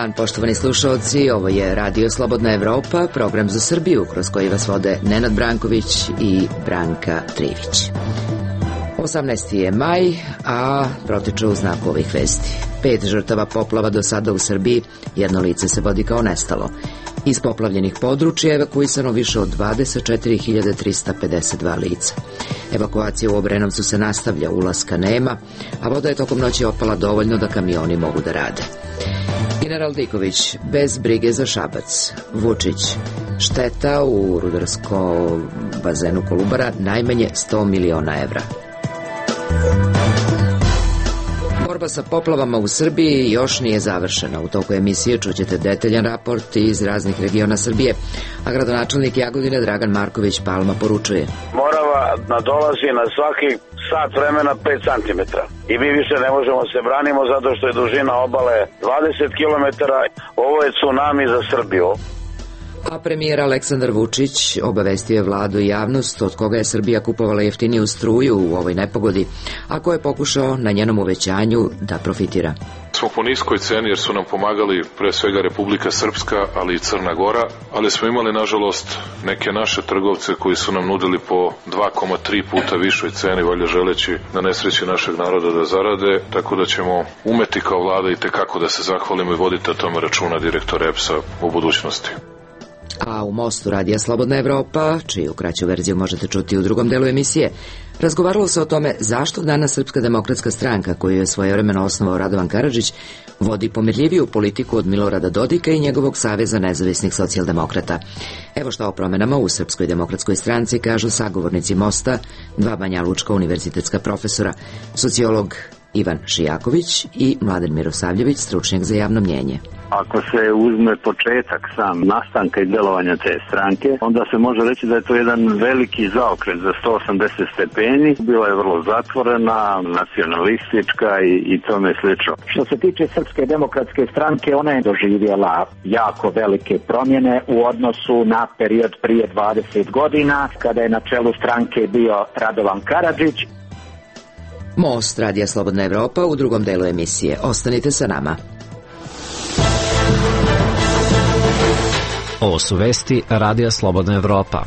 dan, poštovani slušalci, ovo je Radio Slobodna Evropa, program za Srbiju, kroz koji vas vode Nenad Branković i Branka Trivić. 18. je maj, a protiče u znaku ovih vesti. 5 žrtava poplava do sada u Srbiji, jedno lice se vodi kao nestalo. Iz poplavljenih područja evakuisano više od 24.352 lica. Evakuacija u Obrenovcu se nastavlja, ulaska nema, a voda je tokom noći opala dovoljno da kamioni mogu da rade. General Diković, bez brige za Šabac. Vučić, šteta u rudarskom bazenu Kolubara najmanje 100 miliona evra. Borba sa poplavama u Srbiji još nije završena. U toku emisije čućete detaljan raport iz raznih regiona Srbije, a gradonačelnik Jagodine Dragan Marković Palma poručuje: Morava nadolazi na svaki sat vremena 5 cm. I mi više ne možemo se branimo zato što je dužina obale 20 km. Ovo je tsunami za Srbiju. A premijer Aleksandar Vučić obavestio je vladu i javnost od koga je Srbija kupovala jeftiniju struju u ovoj nepogodi, a ko je pokušao na njenom uvećanju da profitira. Smo po niskoj ceni jer su nam pomagali pre svega Republika Srpska, ali i Crna Gora, ali smo imali nažalost neke naše trgovce koji su nam nudili po 2,3 puta višoj ceni, valjda želeći na nesreći našeg naroda da zarade, tako da ćemo umeti kao vlada i tekako da se zahvalimo i voditi o tome računa direktor EPS-a u budućnosti. A u Mostu Radija Slobodna Evropa, čiju kraću verziju možete čuti u drugom delu emisije, razgovaralo se o tome zašto danas Srpska demokratska stranka, koju je svojevremeno osnovao Radovan Karadžić, vodi pomirljiviju politiku od Milorada Dodika i njegovog Saveza nezavisnih socijaldemokrata. Evo šta o promenama u Srpskoj demokratskoj stranci kažu sagovornici Mosta, 2 banjalučka univerzitetska profesora, sociolog Ivan Šijaković i Mladen Mirosavljević, stručnjak za javno mnjenje. Ako se uzme početak sam nastanka i delovanja te stranke, onda se može reći da je to jedan veliki zaokret za 180 stepeni. Bila je vrlo zatvorena, nacionalistička i tome slično. Što se tiče Srpske demokratske stranke, ona je doživjela jako velike promjene u odnosu na period prije 20 godina, kada je na čelu stranke bio Radovan Karadžić. Most Radija Slobodna Evropa u drugom delu emisije. Ostanite sa nama. Ovo su vesti Radija Slobodna Evropa.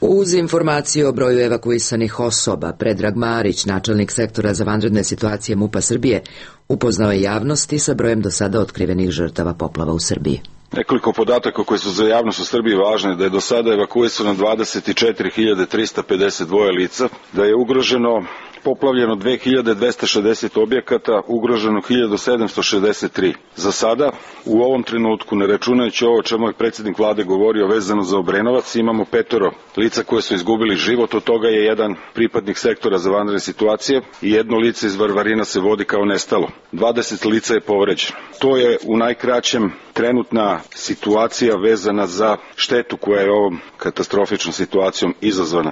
Uz informaciju o broju evakuisanih osoba, Predrag Marić, načelnik sektora za vanredne situacije MUP-a Srbije, upoznao je javnosti sa brojem do sada otkrivenih žrtava poplava u Srbiji. Nekoliko podataka koji su za javnost u Srbiji važne, da je do sada evakuisano 24.352 lica, da je ugroženo poplavljeno 2260 objekata, ugroženo 1763. Za sada, u ovom trenutku, ne računajući ovo o čemu je predsjednik vlade govorio vezano za Obrenovac, imamo 5 lica koje su izgubili život, od toga je jedan pripadnik sektora za vanredne situacije i jedno lice iz Varvarina se vodi kao nestalo. 20 lica je povređeno. To je u najkraćem trenutna situacija vezana za štetu koja je ovom katastrofičnom situacijom izazvana.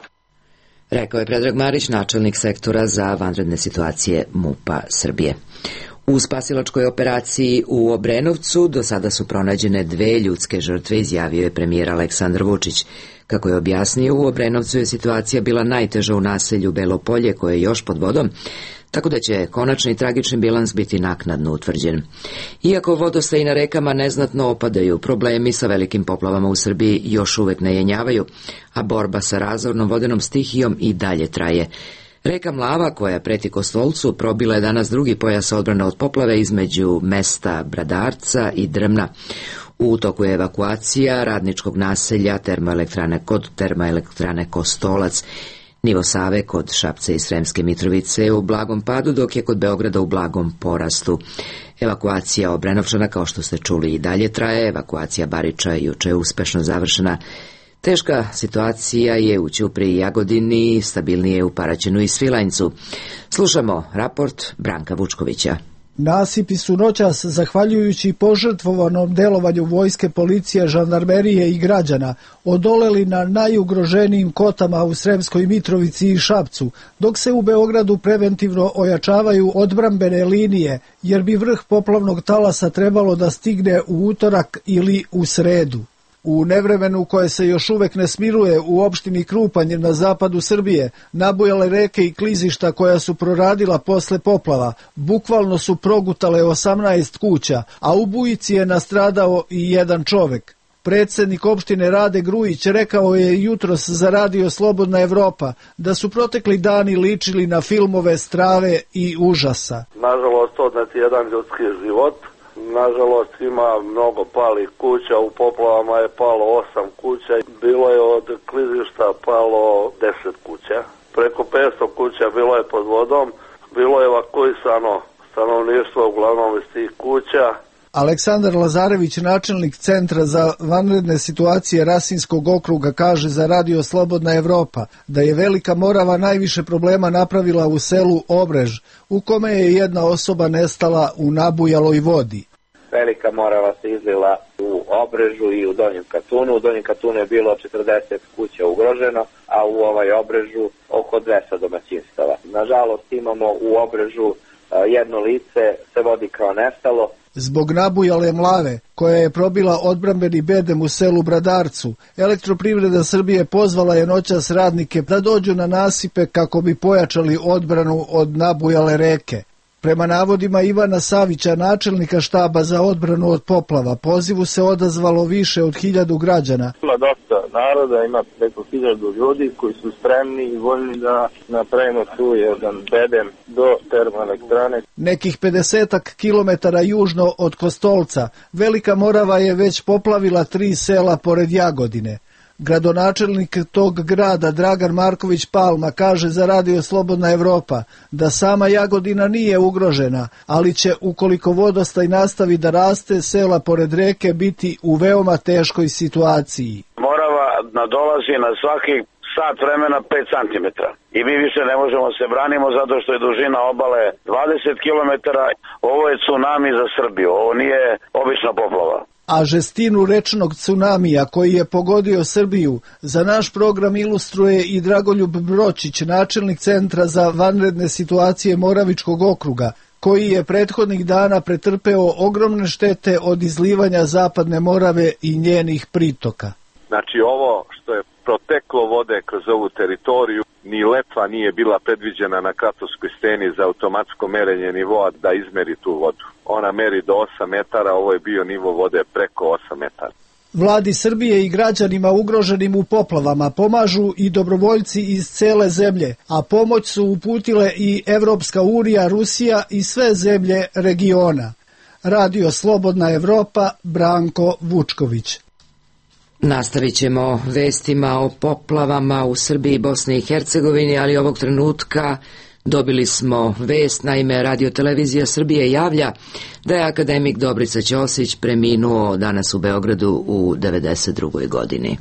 Rekao je Predrag Marić, načelnik sektora za vanredne situacije MUP-a Srbije. U spasilačkoj operaciji u Obrenovcu do sada su pronađene 2 ljudske žrtve, izjavio je premijer Aleksandar Vučić. Kako je objasnio, u Obrenovcu je situacija bila najteža u naselju Belo Polje, koje je još pod vodom, tako da će konačni tragični bilans biti naknadno utvrđen. Iako vodostaji na rekama neznatno opadaju, problemi sa velikim poplavama u Srbiji još uvek ne jenjavaju, a borba sa razornom vodenom stihijom i dalje traje. Reka Mlava, koja preti Kostolcu, probila je danas drugi pojas odbrane od poplave između mesta Bradarca i Drmna. U toku je evakuacija radničkog naselja termoelektrane Kostolac. Nivo Save kod Šapca i Sremske Mitrovice je u blagom padu, dok je kod Beograda u blagom porastu. Evakuacija Obrenovčana, kao što ste čuli, i dalje traje. Evakuacija Bariča juče je uspešno završena. Teška situacija je u Ćupriji i Jagodini, stabilnije je u Paraćinu i Svilajncu. Slušamo raport Branka Vučkovića. Nasipi su noćas, zahvaljujući požrtvovanom delovanju vojske, policije, žandarmerije i građana, odoleli na najugroženijim kotama u Sremskoj Mitrovici i Šapcu, dok se u Beogradu preventivno ojačavaju odbrambene linije, jer bi vrh poplavnog talasa trebalo da stigne u utorak ili u sredu. U nevremenu koje se još uvek ne smiruje u opštini Krupanj na zapadu Srbije, nabujale reke i klizišta koja su proradila posle poplava, bukvalno su progutale 18 kuća, a u bujici je nastradao i jedan čovek. Predsednik opštine Rade Grujić rekao je jutros za Radio Slobodna Evropa da su protekli dani ličili na filmove strave i užasa. Nažalost, odnet jedan ljudski život. Nažalost, ima mnogo palih kuća, u poplavama je palo 8 kuća, bilo je od klizišta palo 10 kuća. Preko 500 kuća bilo je pod vodom, bilo je evakuisano stanovništvo uglavnom iz tih kuća. Aleksandar Lazarević, načelnik Centra za vanredne situacije Rasinskog okruga, kaže za Radio Slobodna Evropa da je Velika Morava najviše problema napravila u selu Obrež, u kome je jedna osoba nestala u nabujaloj vodi. Velika Morava se izlila u Obrežu i u Donjem Katunu. U Donjem Katunu je bilo 40 kuća ugroženo, a u Obrežu oko 200 domaćinstava. Nažalost, imamo u Obrežu jedno lice se vodi kao nestalo. Zbog nabujale mlave, koja je probila odbrambeni bedem u selu Bradarcu, Elektroprivreda Srbije pozvala je noćas radnike da dođu na nasipe kako bi pojačali odbranu od nabujale reke. Prema navodima Ivana Savića, načelnika štaba za odbranu od poplava, pozivu se odazvalo više od 1000 građana. Ima dosta naroda, ima preko 1000 ljudi koji su spremni i voljni da napravimo tu jedan bedem do termoelektrane. Nekih 50 kilometara južno od Kostolca, Velika Morava je već poplavila 3 sela pored Jagodine. Gradonačelnik tog grada Dragan Marković Palma kaže za Radio Slobodna Evropa da sama Jagodina nije ugrožena, ali će, ukoliko vodostaj nastavi da raste, sela pored reke biti u veoma teškoj situaciji. Morava nadolazi na svaki sat vremena 5 cm i mi više ne možemo se branimo zato što je dužina obale 20 km. Ovo je tsunami za Srbiju, ovo nije obična poplava. A žestinu rečnog tsunamija koji je pogodio Srbiju za naš program ilustruje i Dragoljub Bročić, načelnik Centra za vanredne situacije Moravičkog okruga, koji je prethodnih dana pretrpeo ogromne štete od izlivanja Zapadne Morave i njenih pritoka. Znači ovo što je proteklo vode kroz ovu teritoriju, ni letva nije bila predviđena na Kratovskoj steni za automatsko merenje nivoa da izmeri tu vodu. Ona meri do 8 metara, ovo je bio nivo vode preko 8 metara. Vladi Srbije i građanima ugroženim u poplavama pomažu i dobrovoljci iz cele zemlje, a pomoć su uputile i Evropska unija, Rusija i sve zemlje regiona. Radio Slobodna Evropa, Branko Vučković. Nastavit ćemo vestima o poplavama u Srbiji i Bosni i Hercegovini, ali ovog trenutka dobili smo vest, naime Radio-televizija Srbije javlja da je akademik Dobrica Ćosić preminuo danas u Beogradu u 92. godini.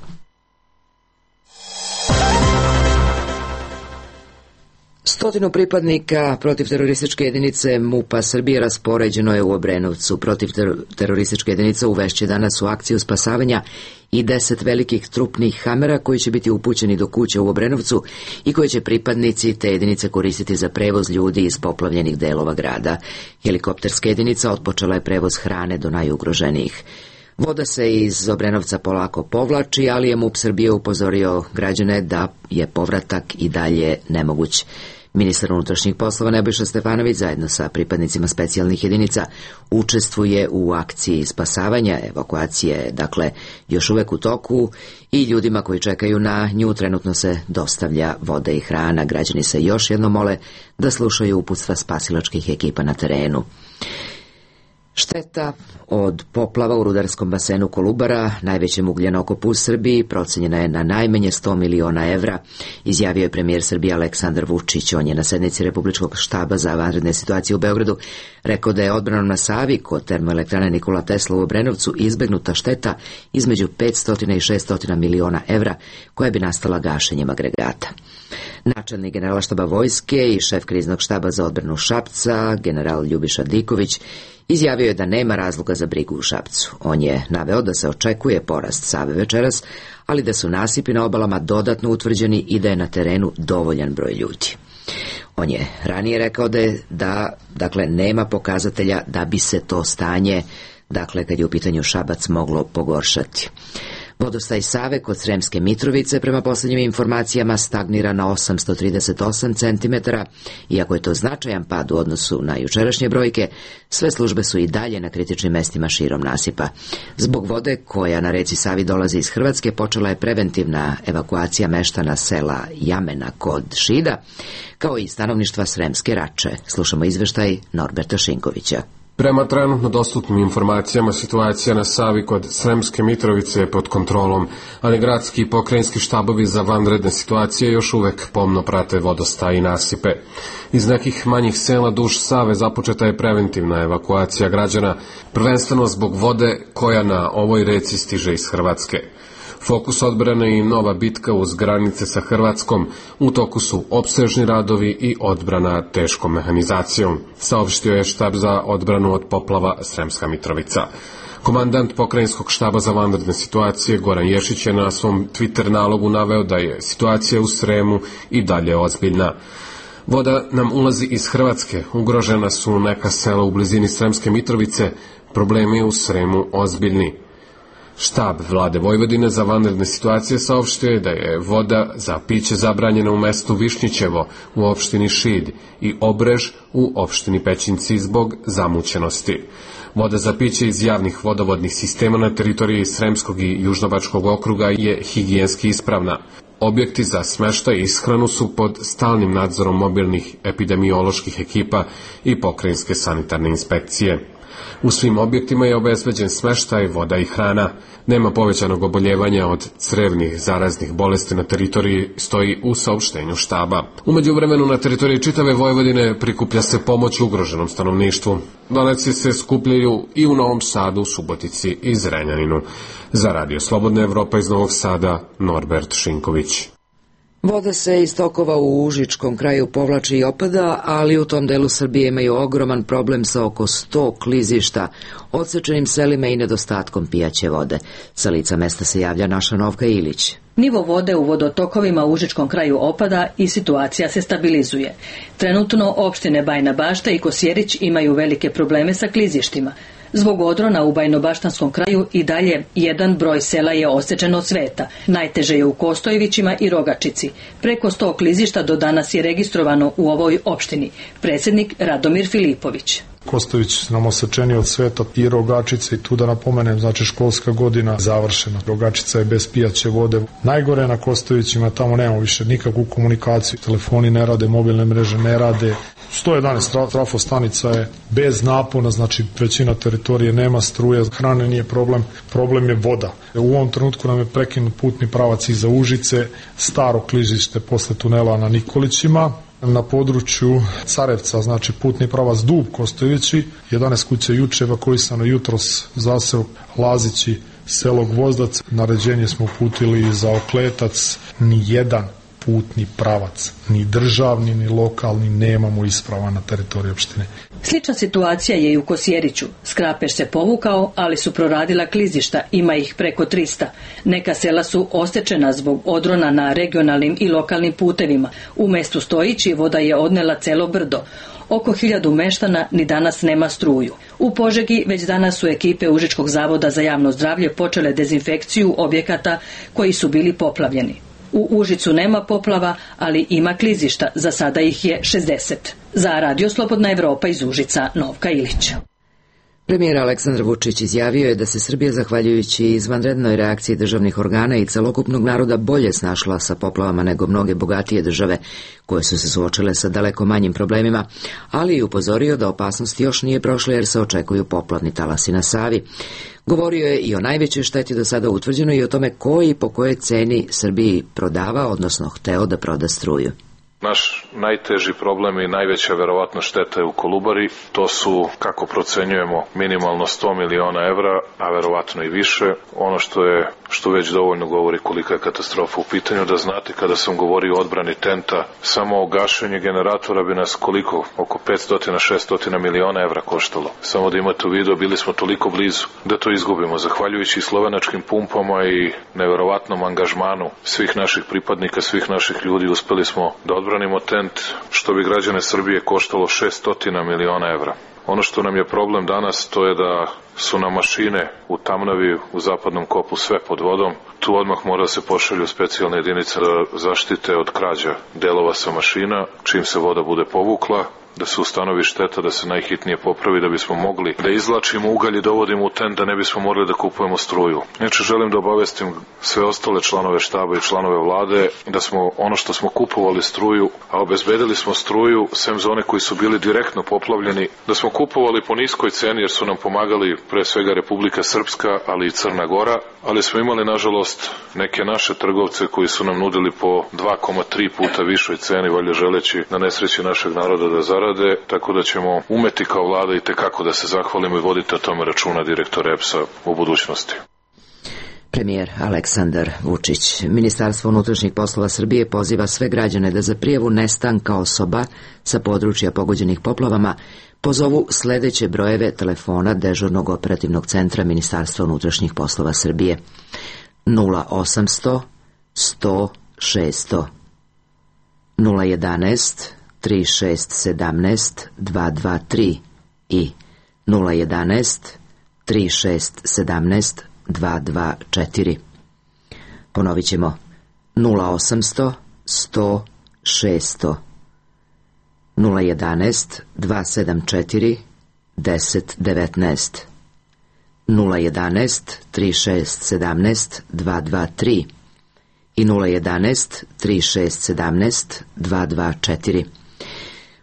Stotinu pripadnika protivterorističke jedinice MUP-a Srbije raspoređeno je u Obrenovcu. Protivterorističke jedinice uvešće danas u akciju spasavanja i 10 velikih trupnih hamera koji će biti upućeni do kuća u Obrenovcu i koje će pripadnici te jedinice koristiti za prevoz ljudi iz poplavljenih delova grada. Helikopterska jedinica otpočela je prevoz hrane do najugroženijih. Voda se iz Obrenovca polako povlači, ali je MUP Srbije upozorio građane da je povratak i dalje nemoguć. Ministar unutrašnjih poslova Nebojša Stefanović zajedno sa pripadnicima specijalnih jedinica učestvuje u akciji spasavanja. Evakuacija je dakle još uvek u toku i ljudima koji čekaju na nju trenutno se dostavlja voda i hrana. Građani se još jednom mole da slušaju uputstva spasilačkih ekipa na terenu. Šteta od poplava u rudarskom basenu Kolubara, najvećem ugljenokopu u Srbiji, procenjena je na najmanje 100 miliona evra, izjavio je premijer Srbije Aleksandar Vučić. On je na sednici Republičkog štaba za vanredne situacije u Beogradu rekao da je odbranom na Savi kod termoelektrane Nikola Tesla u Obrenovcu izbegnuta šteta između 500 i 600 miliona evra koja bi nastala gašenjem agregata. Načelnik Generalštaba vojske i šef kriznog štaba za odbranu Šapca, general Ljubiša Diković, izjavio je da nema razloga za brigu u Šapcu. On je naveo da se očekuje porast Save večeras, ali da su nasipi na obalama dodatno utvrđeni i da je na terenu dovoljan broj ljudi. On je ranije rekao da nema pokazatelja da bi se to stanje, kad je u pitanju Šabac, moglo pogoršati. Vodostaj Save kod Sremske Mitrovice prema posljednjim informacijama stagnira na 838 cm, iako je to značajan pad u odnosu na jučerašnje brojke, sve službe su i dalje na kritičnim mestima širom nasipa. Zbog vode koja na reci Savi dolazi iz Hrvatske počela je preventivna evakuacija meštana sela Jamena kod Šida, kao i stanovništva Sremske Rače. Slušamo izveštaj Norberta Šinkovića. Prema trenutno dostupnim informacijama, situacija na Savi kod Sremske Mitrovice je pod kontrolom, ali gradski i pokrajinski štabovi za vanredne situacije još uvek pomno prate vodostaj i nasipe. Iz nekih manjih sela duž Save započeta je preventivna evakuacija građana, prvenstveno zbog vode koja na ovoj reci stiže iz Hrvatske. Fokus odbrane i nova bitka uz granice sa Hrvatskom, u toku su opsežni radovi i odbrana teškom mehanizacijom, saopštio je štab za odbranu od poplava Sremska Mitrovica. Komandant pokrajinskog štaba za vanredne situacije Goran Ješić je na svom Twitter nalogu naveo da je situacija u Sremu i dalje ozbiljna. Voda nam ulazi iz Hrvatske, ugrožena su neka sela u blizini Sremske Mitrovice, problemi u Sremu ozbiljni. Štab vlade Vojvodine za vanredne situacije saopštio je da je voda za piće zabranjena u mestu Višnjićevo u opštini Šid i Obrež u opštini Pećinci zbog zamućenosti. Voda za piće iz javnih vodovodnih sistema na teritoriji Sremskog i Južnobačkog okruga je higijenski ispravna. Objekti za smeštaj i ishranu su pod stalnim nadzorom mobilnih epidemioloških ekipa i pokrajinske sanitarne inspekcije. U svim objektima je obezbeđen smeštaj, voda i hrana. Nema povećanog oboljevanja od crevnih zaraznih bolesti na teritoriji, stoji u saopštenju štaba. U međuvremenu na teritoriji čitave Vojvodine prikuplja se pomoć ugroženom stanovništvu. Donacije se skupljaju i u Novom Sadu, Subotici i Zrenjaninu. Za Radio Slobodna Evropa iz Novog Sada, Norbert Šinković. Voda se iz tokova u užičkom kraju povlači i opada, ali u tom delu Srbije imaju ogroman problem sa oko 100 klizišta, odsečenim selima i nedostatkom pijaće vode. Sa lica mesta se javlja naša Novka Ilić. Nivo vode u vodotokovima u užičkom kraju opada i situacija se stabilizuje. Trenutno opštine Bajina Bašta i Kosjerić imaju velike probleme sa klizištima. Zbog odrona u Bajnobaštanskom kraju i dalje jedan broj sela je osečen od sveta. Najteže je u Kostojevićima i Rogačici. Preko 100 klizišta do danas je registrovano u ovoj opštini. Predsjednik Radomir Filipović. Kostojević nam osečeni od sveta i Rogačice, i tu da napomenem, znači školska godina završena. Rogačica je bez pijaće vode. Najgore na Kostojevićima, tamo nemamo više nikakvu komunikaciju. Telefoni ne rade, mobilne mreže ne rade. 111 trafostanica je bez napona, znači većina teritorije nema struje, hrane nije problem je voda. U ovom trenutku nam je prekinut putni pravac iza Užice, staro klizište posle tunela na Nikolićima. Na području Carevca, znači putni pravac Dub Kostojevići, 11 kuća juče evakuisano, jutros zaseo Lazići, selo Gvozdac. Naređenje smo uputili za Okletac, ni jedan putni pravac, ni državni, ni lokalni, nemamo isprava na teritoriji opštine. Slična situacija je i u Kosjeriću. Skrapeš se povukao, ali su proradila klizišta, ima ih preko 300. Neka sela su osečena zbog odrona na regionalnim i lokalnim putevima. U mestu Stojići voda je odnela celo brdo. Oko 1000 meštana ni danas nema struju. U Požegi već danas su ekipe Užičkog zavoda za javno zdravlje počele dezinfekciju objekata koji su bili poplavljeni. U Užicu nema poplava, ali ima klizišta, za sada ih je 60. Za Radio Slobodna Evropa iz Užica, Novka Ilić. Premijer Aleksandar Vučić izjavio je da se Srbija, zahvaljujući izvanrednoj reakciji državnih organa i celokupnog naroda, bolje snašla sa poplavama nego mnoge bogatije države koje su se suočile sa daleko manjim problemima, ali i upozorio da opasnost još nije prošla jer se očekuju poplavni talasi na Savi. Govorio je i o najvećoj šteti do sada utvrđenoj i o tome ko i po kojoj ceni Srbiji prodava, odnosno hteo da proda struju. Naš najteži problem i najveća verovatno šteta je u Kolubari. To su, kako procenjujemo, minimalno 100 miliona evra, a verovatno i više. Ono što već dovoljno govori kolika je katastrofa u pitanju. Da znate, kada sam govorio o odbrani tenta, samo gašenje generatora bi nas koliko? Oko 500-600 miliona evra koštalo. Samo da imate u vidu, bili smo toliko blizu da to izgubimo. Zahvaljujući slovenačkim pumpama i neverovatnom angažmanu svih naših pripadnika, svih naših ljudi, uspeli smo da odbranimo tent, što bi građane Srbije koštalo 600 miliona evra. Ono što nam je problem danas, to je da su nam mašine u Tamnavi, u zapadnom kopu, sve pod vodom. Tu odmah mora se pošalju specijalne jedinice da zaštite od krađa delova sa mašina, čim se voda bude povukla, da se ustanovi šteta, da se najhitnije popravi, da bismo mogli da izvlačimo ugalj i dovodimo u tent, da ne bismo morali da kupujemo struju. Inače, želim da obavestim sve ostale članove štaba i članove vlade da smo ono što smo kupovali struju, a obezbedili smo struju, sem za one koji su bili direktno poplavljeni, da smo kupovali po niskoj ceni jer su nam pomagali pre svega Republika Srpska, ali i Crna Gora, ali smo imali, nažalost, neke naše trgovce koji su nam nudili po 2,3 puta višoj ceni, valjda želeći na nesreći našeg naroda da zarade, tako da ćemo umeti kao vlada i tekako da se zahvalimo i voditi o tome računa direktor EPS-a u budućnosti. Premijer Aleksandar Vučić. Ministarstvo unutrašnjih poslova Srbije poziva sve građane da za prijavu nestanka osoba sa područja pogođenih poplavama pozovu sledeće brojeve telefona dežurnog operativnog centra Ministarstva unutrašnjih poslova Srbije: 0800 100 600, 011 3617 223 i 011 3617 224. Ponovit ćemo: 0800 100 600, 011 274 1019, 011 3617 223 i 011 3617 224.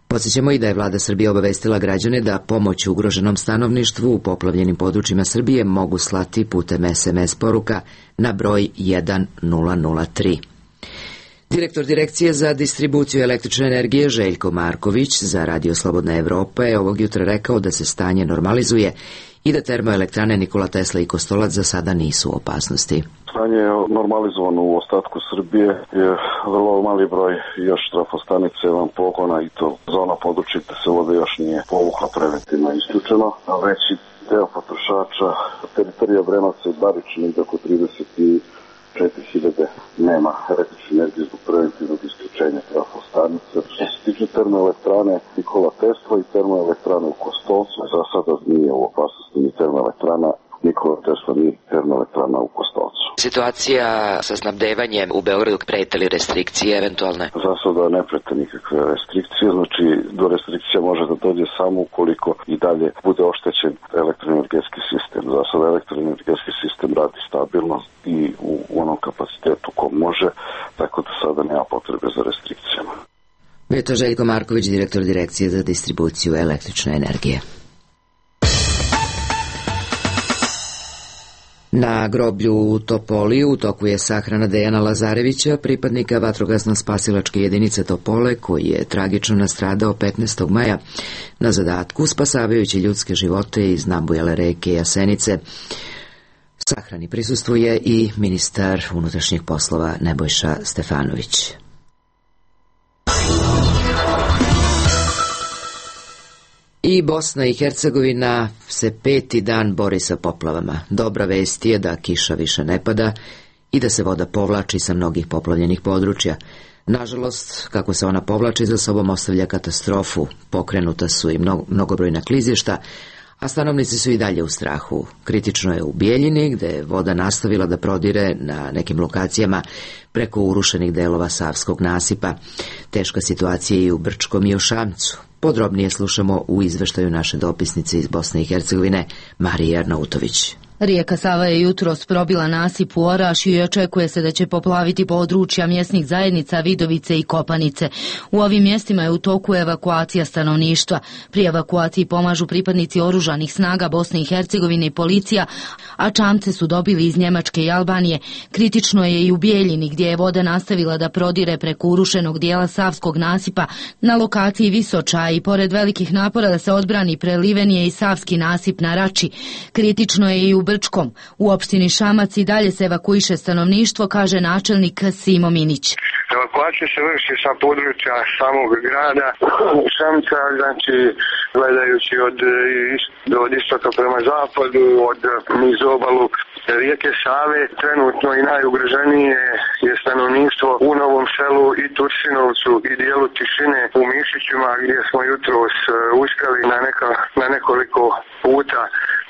Podsjećamo i da je vlada Srbije obavestila građane da pomoć ugroženom stanovništvu u poplavljenim područjima Srbije mogu slati putem SMS poruka na broj 1003. Direktor Direkcije za distribuciju električne energije Željko Marković za Radio Slobodna Evropa je ovog jutra rekao da se stanje normalizuje i da termoelektrane Nikola Tesla i Kostolac za sada nisu u opasnosti. Stanje je normalizovano u ostatku Srbije, je vrlo mali broj još trafostanice van pogona i to za ono područje gde se voda još nije povukla preventivno isključeno, a veći deo potrošača teritorija Obrenovca i Baričine ide oko 34.000 nema električne energije zbog preventivnog isključenja trafostanice. Što se tiče termoelektrane Nikola Tesla i termoelektrane u Kostolcu, za sada nije u opasnosti ni termoelektrana Nikola Tesla ni termoelektrana u Kostolcu. Situacija sa snabdevanjem u Beogradu, prete li restrikcije eventualne? Za sada ne prete nikakve restrikcije, znači do restrikcija može da dođe samo ukoliko i dalje bude oštećen elektroenergetski sistem. Za sada elektroenergetski sistem radi stabilno i u onom kapacitetu ko može, tako da sada nema potrebe za restrikcijama. Bio to Željko Marković, direktor Direkcije za distribuciju električne energije. Na groblju u Topoli u toku je sahrana Dejana Lazarevića, pripadnika vatrogasno-spasilačke jedinice Topole, koji je tragično nastradao 15. maja na zadatku, spasavajući ljudske živote iz nabujale reke Jasenice. Sahrani prisustvuje i ministar unutrašnjih poslova Nebojša Stefanović. I Bosna i Hercegovina se 5. dan bori sa poplavama. Dobra vest je da kiša više ne pada i da se voda povlači sa mnogih poplavljenih područja. Nažalost, kako se ona povlači, za sobom ostavlja katastrofu. Pokrenuta su i mnogobrojna klizišta, a stanovnici su i dalje u strahu. Kritično je u Bijeljini, gde je voda nastavila da prodire na nekim lokacijama preko urušenih delova Savskog nasipa. Teška situacija je i u Brčkom i u Šamcu. Podrobnije slušamo u izveštaju naše dopisnice iz Bosne i Hercegovine, Marije Arnautović. Rijeka Sava je jutros probila nasip u Orašju i očekuje se da će poplaviti područja mjesnih zajednica Vidovice i Kopanice. U ovim mjestima je u toku evakuacija stanovništva. Pri evakuaciji pomažu pripadnici oružanih snaga Bosne i Hercegovine i policija, a čamce su dobili iz Njemačke i Albanije. Kritično je i u Bijeljini, gdje je voda nastavila da prodire preko urušenog dijela Savskog nasipa na lokaciji Visoča i pored velikih napora da se odbrani preliven je i Savski nasip na Rači. Kritično je i u Brčkom. U opštini Šamac i dalje se evakuiše stanovništvo, kaže načelnik Simo Minić. Evakuacija se vrši sa područja samog grada Šamca, znači gledajući od istoka prema zapadu, od niz obalu rijeke Save. Trenutno i najugroženije je stanovništvo u Novom Selu i Tursinovcu i dijelu Tišine u Mišićima, gdje smo jutros uspjeli na nekoliko puta,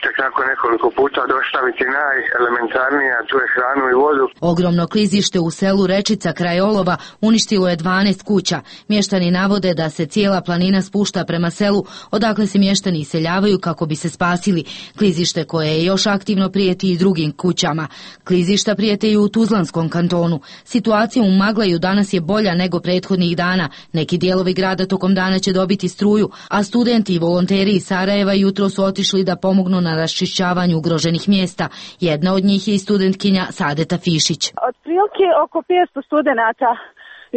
tek nakon nekoliko puta dostaviti najelementarnije, a to je hranu i vodu. Ogromno klizište u selu Rečica kraj Olova uništilo je 12 kuća. Mještani navode da se cijela planina spušta prema selu, odakle se mještani iseljavaju kako bi se spasili. Klizište koje je još aktivno prijeti i drugim kućama. Klizišta prijete i u Tuzlanskom kantonu. Situacija u Maglaju danas je bolja nego prethodnih dana. Neki dijelovi grada tokom dana će dobiti struju, a studenti i volonteri iz Sarajeva jutro su otišli da pomognu na raščišćavanju ugroženih mjesta. Jedna od njih je i studentkinja Sadeta Fišić. Otprilike oko 500 studenata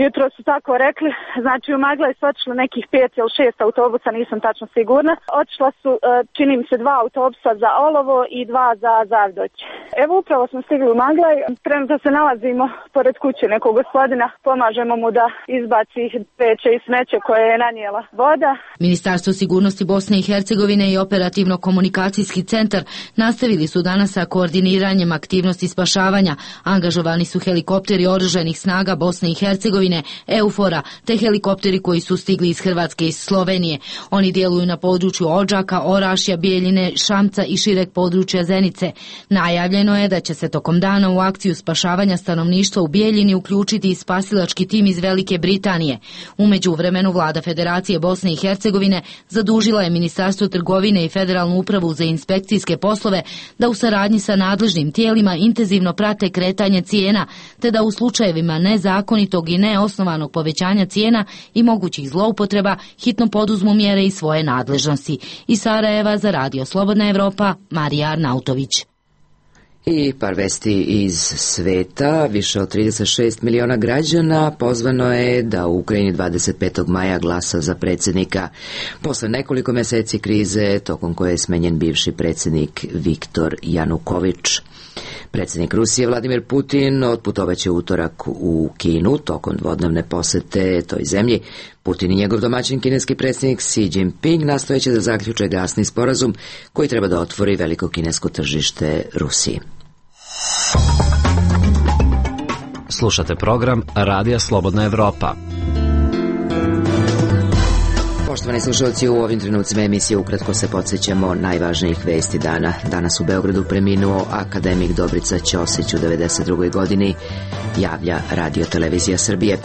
jutro su tako rekli, znači u Maglaj su otišli nekih 5 ili 6 autobusa, nisam tačno sigurna. Otišla su, čini mi se, 2 autobusa za Olovo i 2 za Zavdoć. Evo upravo smo stigli u Maglaj, trenutno se nalazimo pored kuće nekog gospodina, pomažemo mu da izbaci peće i smeće koje je nanijela voda. Ministarstvo sigurnosti Bosne i Hercegovine i operativno-komunikacijski centar nastavili su danas sa koordiniranjem aktivnosti spašavanja. Angažovani su helikopteri oružanih snaga Bosne i Hercegovine, Eufora, te helikopteri koji su stigli iz Hrvatske i iz Slovenije. Oni djeluju na području Odžaka, Orašja, Bijeljine, Šamca i šireg područja Zenice. Najavljeno je da će se tokom dana u akciju spašavanja stanovništva u Bijeljini uključiti i spasilački tim iz Velike Britanije. U međuvremenu vlada Federacije Bosne i Hercegovine zadužila je Ministarstvo trgovine i Federalnu upravu za inspekcijske poslove da u saradnji sa nadležnim tijelima intenzivno prate kretanje cijena, te da u slučajevima nezakonitog i neosnovanog povećanja cijena i mogućih zloupotreba hitno poduzmu mjere iz svoje nadležnosti. Iz Sarajeva za Radio Slobodna Evropa, Marija Arnautović. I par vesti iz sveta. Više od 36 miliona građana pozvano je da u Ukrajini 25. maja glasa za predsjednika. Posle nekoliko mjeseci krize, tokom koje je smenjen bivši predsjednik Viktor Januković. Predsjednik Rusije Vladimir Putin otputovaće utorak u Kinu tokom dvodnevne posete toj zemlji. Putin i njegov domaćin kineski predsjednik Xi Jinping nastojeće da zaključe gasni sporazum koji treba da otvori veliko kinesko tržište Rusiji. Slušate program Radija Slobodna Evropa. Poštovani slušalci, u ovim trenucima emisije ukratko se podsjećamo najvažnijih vesti dana. Danas u Beogradu preminuo akademik Dobrica Ćosić u 92. godini, javlja Radio Televizija Srbije.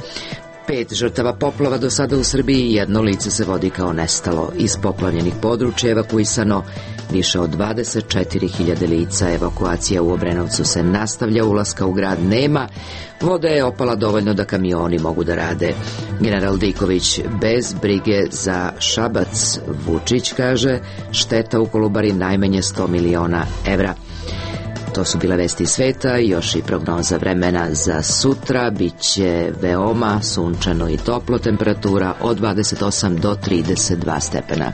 5 žrtava poplava do sada u Srbiji, jedno lice se vodi kao nestalo. Iz poplavljenih područja evakuisano više od 24.000 lica. Evakuacija u Obrenovcu se nastavlja, ulaska u grad nema. Voda je opala dovoljno da kamioni mogu da rade. General Diković, bez brige za Šabac. Vučić kaže, šteta u Kolubari najmanje 100 miliona evra. To su bile vesti sveta i još i prognoza vremena za sutra. Biće veoma sunčano i toplo, temperatura od 28 do 32 stepena.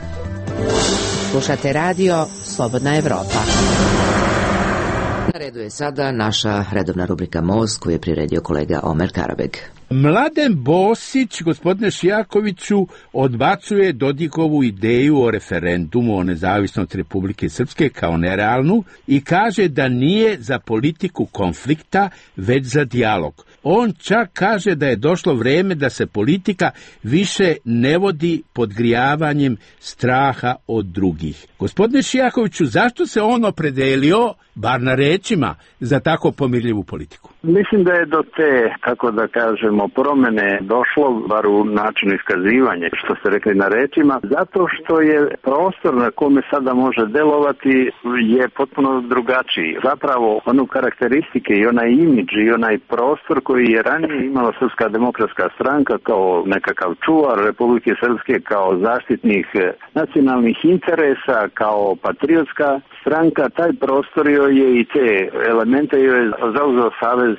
Slušate radio Slobodna Evropa. Na redu je sada naša redovna rubrika Most koju je priredio kolega Omer Karabeg. Mladen Bosić, gospodine Šijakoviću, odbacuje Dodikovu ideju o referendumu o nezavisnosti Republike Srpske kao nerealnu i kaže da nije za politiku konflikta, već za dijalog. On čak kaže da je došlo vrijeme da se politika više ne vodi podgrijavanjem straha od drugih. Gospodine Šijakoviću, zašto se on opredelio, bar na rečima, za tako pomirljivu politiku? Mislim da je do te, kako da kažemo, promjene došlo, bar u načinu iskazivanja, što ste rekli na rečima, zato što je prostor na kome sada može delovati je potpuno drugačiji. Zapravo, onu karakteristike i onaj imidž i onaj prostor koji je ranije imala Srpska demokratska stranka kao nekakav čuvar Republike Srpske, kao zaštitnik nacionalnih interesa, kao patriotska stranka, taj prostor joj je i te elemente joj je zauzeo Savez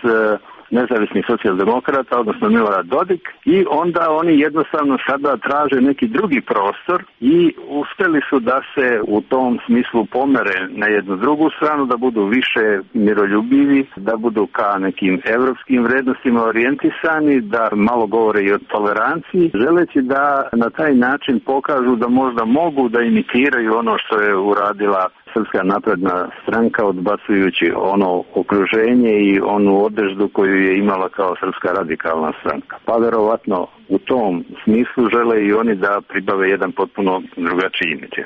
nezavisnih socijaldemokrata, odnosno Milorad Dodik, i onda oni jednostavno sada traže neki drugi prostor i uspjeli su da se u tom smislu pomere na jednu drugu stranu, da budu više miroljubivi, da budu ka nekim evropskim vrednostima orijentisani, da malo govore i o toleranciji, želeći da na taj način pokažu da možda mogu da imitiraju ono što je uradila Srpska napredna stranka, odbacujući ono okruženje i onu odeždu koju je imala kao Srpska radikalna stranka. Pa verovatno u tom smislu žele i oni da pribave jedan potpuno drugačiji imidž.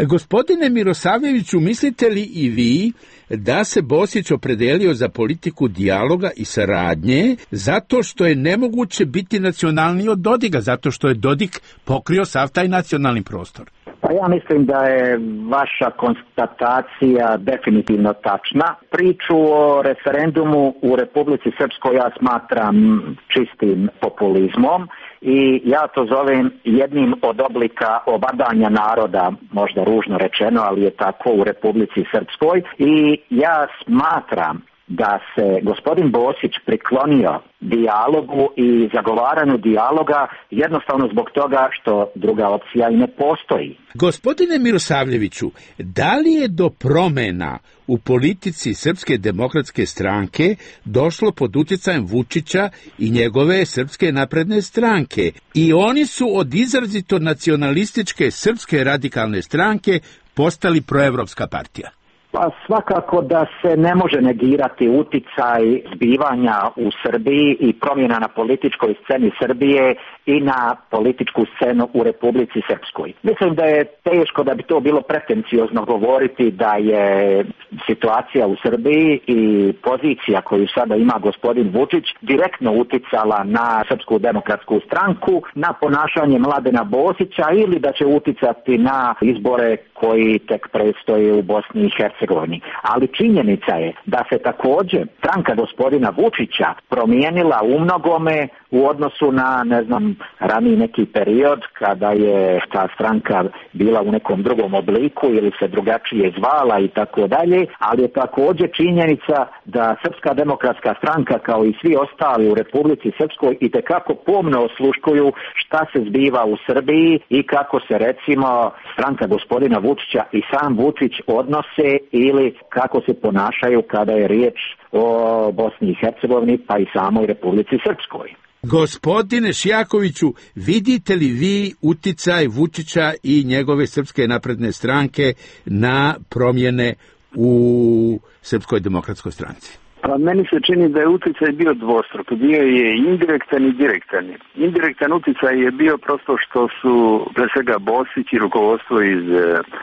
Gospodine Mirosavljeviću, mislite li i vi da se Bosić opredelio za politiku dijaloga i saradnje zato što je nemoguće biti nacionalniji od Dodiga, zato što je Dodik pokrio sav taj nacionalni prostor? Pa ja mislim da je vaša konstatacija definitivno tačna. Priču o referendumu u Republici Srpskoj ja smatram čistim populizmom i ja to zovem jednim od oblika obadanja naroda, možda ružno rečeno, ali je tako u Republici Srpskoj, i ja smatram da se gospodin Bosić priklonio dijalogu i zagovaranju dijaloga jednostavno zbog toga što druga opcija i ne postoji. Gospodine Mirosavljeviću, da li je do promena u politici Srpske demokratske stranke došlo pod utjecajem Vučića i njegove Srpske napredne stranke? I oni su od izrazito nacionalističke Srpske radikalne stranke postali proevropska partija. Pa svakako da se ne može negirati uticaj zbivanja u Srbiji i promjena na političkoj sceni Srbije i na političku scenu u Republici Srpskoj. Mislim da je teško da bi to bilo pretenciozno govoriti da je situacija u Srbiji i pozicija koju sada ima gospodin Vučić direktno uticala na Srpsku demokratsku stranku, na ponašanje Mladena Bosića ili da će uticati na izbore koji tek predstoje u Bosni i Hercegovini. Ali činjenica je da se također stranka gospodina Vučića promijenila u mnogome u odnosu na, raniji neki period kada je ta stranka bila u nekom drugom obliku ili se drugačije zvala i tako dalje, ali je također činjenica da Srpska demokratska stranka kao i svi ostali u Republici Srpskoj itekako pomno osluškuju šta se zbiva u Srbiji i kako se recimo stranka gospodina Vučića i sam Vučić odnose ili kako se ponašaju kada je riječ o Bosni i Hercegovini pa i samoj Republici Srpskoj. Gospodine Šijakoviću, vidite li vi uticaj Vučića i njegove Srpske napredne stranke na promjene u Srpskoj demokratskoj stranci? Pa meni se čini da je utjecaj bio dvostruk. Bio je indirektan i direktan. Indirektan utjecaj je bio prosto što su pre svega Bosić i rukovodstvo iz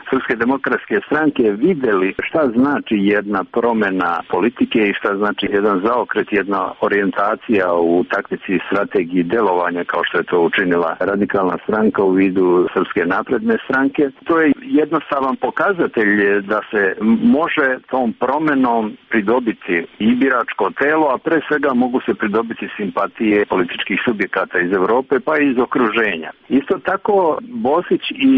Srpske demokratske stranke vidjeli šta znači jedna promjena politike i šta znači jedan zaokret, jedna orijentacija u taktici i strategiji delovanja kao što je to učinila radikalna stranka u vidu Srpske napredne stranke. To je jednostavan pokazatelj da se može tom promjenom pridobiti i biračko telo, a pre svega mogu se pridobiti simpatije političkih subjekata iz Europe pa i iz okruženja. Isto tako Bosić i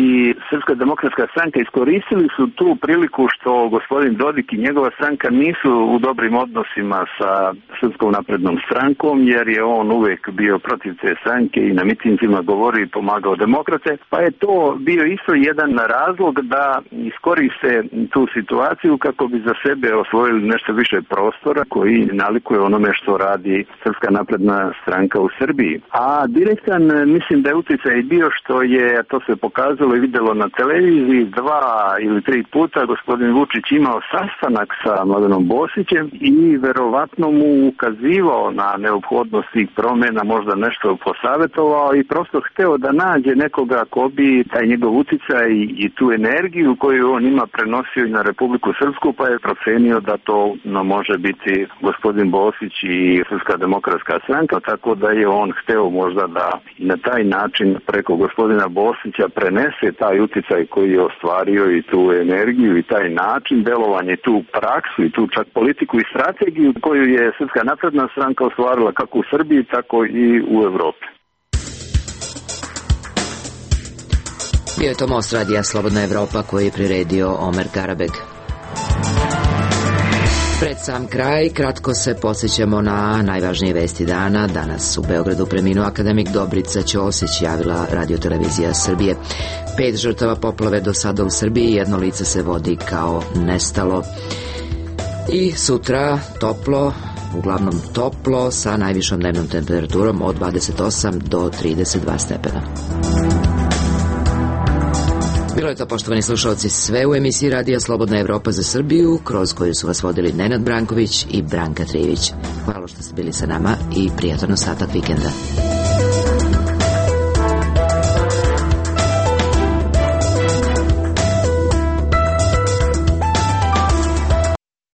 Srpska demokratska stranka iskoristili su tu priliku što gospodin Dodik i njegova stranka nisu u dobrim odnosima sa Srpskom naprednom strankom, jer je on uvijek bio protiv te stranke i na mitinzima govorio i pomagao demokrate, pa je to bio isto jedan razlog da iskoriste tu situaciju kako bi za sebe osvojili nešto više prostora koji nalikuje onome što radi Srpska napredna stranka u Srbiji. A direktan mislim da je utjecaj bio što je, to se pokazalo i vidjelo na televiziji, 2 ili 3 puta gospodin Vučić imao sastanak sa Mladenom Bosićem i verovatno mu ukazivao na neophodnost tih promjena, možda nešto posavjetovao i prosto hteo da nađe nekoga ko bi taj njegov utjecaj i tu energiju koju on ima prenosio i na Republiku Srpsku, pa je procenio da to može biti gospodin Bosić i Srpska demokratska stranka, tako da je on hteo možda da i na taj način preko gospodina Bosića prenese taj utjecaj koji je ostvario i tu energiju i taj način delovanja i tu praksu i tu čak politiku i strategiju koju je Srpska napredna stranka ostvarila kako u Srbiji, tako i u Evropi. Bio je to most radija Slobodna Evropa koji je priredio Omer Garabeg. Pred sam kraj, kratko se podsjećamo na najvažnije vesti dana. Danas u Beogradu preminuo akademik Dobrica Ćosić, javila radiotelevizija Srbije. 5 žrtava poplave do sada u Srbiji, 1 lice se vodi kao nestalo. I sutra toplo, uglavnom toplo, sa najvišom dnevnom temperaturom od 28 do 32 stepena. Bilo je je to, poštovani slušalci, sve u emisiji Radija Slobodna Evropa za Srbiju, kroz koju su vas vodili Nenad Branković i Branka Trivić. Hvala što ste bili sa nama i prijatan ostatak vikenda.